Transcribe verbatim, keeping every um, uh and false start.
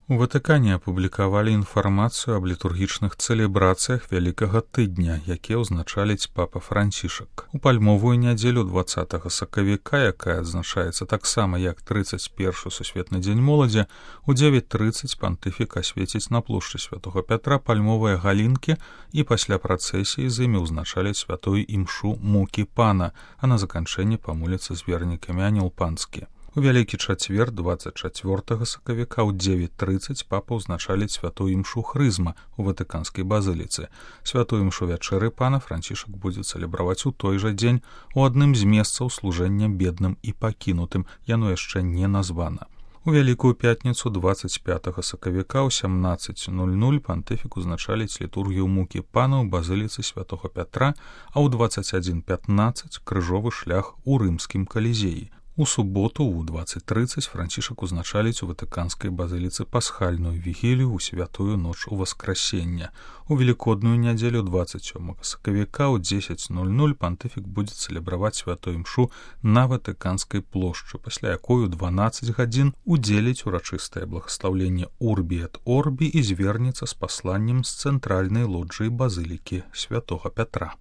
У Ватыкане апублікавалі інфармацыю аб літургічных цэлебрацыях Вялікага тыдня, якія ўзначаліць папа Францішак. У пальмовую нядзелю дваццатага сакавіка, якая адзначаецца таксама як трыццаць першы сусветны дзень моладзі, у дзевяць трыццаць пантыфік асвеціць на плошчы святога Пятра пальмовыя галінкі і пасля працэсіі з імі ўзначаліць святую імшу мукі пана, а на заканчэнне памоліцца з вернікамі анёл панскі. У Вялікі чацвер дваццаць чацвёртага сакавіка ў дзевяць трыццаць папа ўзначаліць святую імшу хрызма у ватыканскай базыліцы. Святую імшу вячэры пана Францішак будзе цэлебраваць у той жа дзень у адным з месцаў служэння бедным і пакінутым, яно яшчэ не названа. У Вялікую пятніцу дваццаць пятага сакавіка ў сямнаццаць нуль нуль пантыфік узначаліць літургію мукі пана ў базыліцы святога Пятра, а ў дваццаць адзін пятнаццаць крыжовы шлях у рымскім калізеі. У суботу ў дваццаць трыццаць Францішак узначаліць у ватыканскай базыліцы пасхальную вігілію ў святую ноч уваскрасення. У велікодную нядзелю дваццаць сёмага сакавіка ў дзесяць нуль нуль пантыфік будзе цэлебраваць святую імшу на ватыканскай плошчы, пасля якой у дванаццаць гадзін удзеліць урачыстае благаслаўленне Урбі эт Орбі і звернецца з пасланнем з цэнтральнай лоджыі базылікі святога Пятра.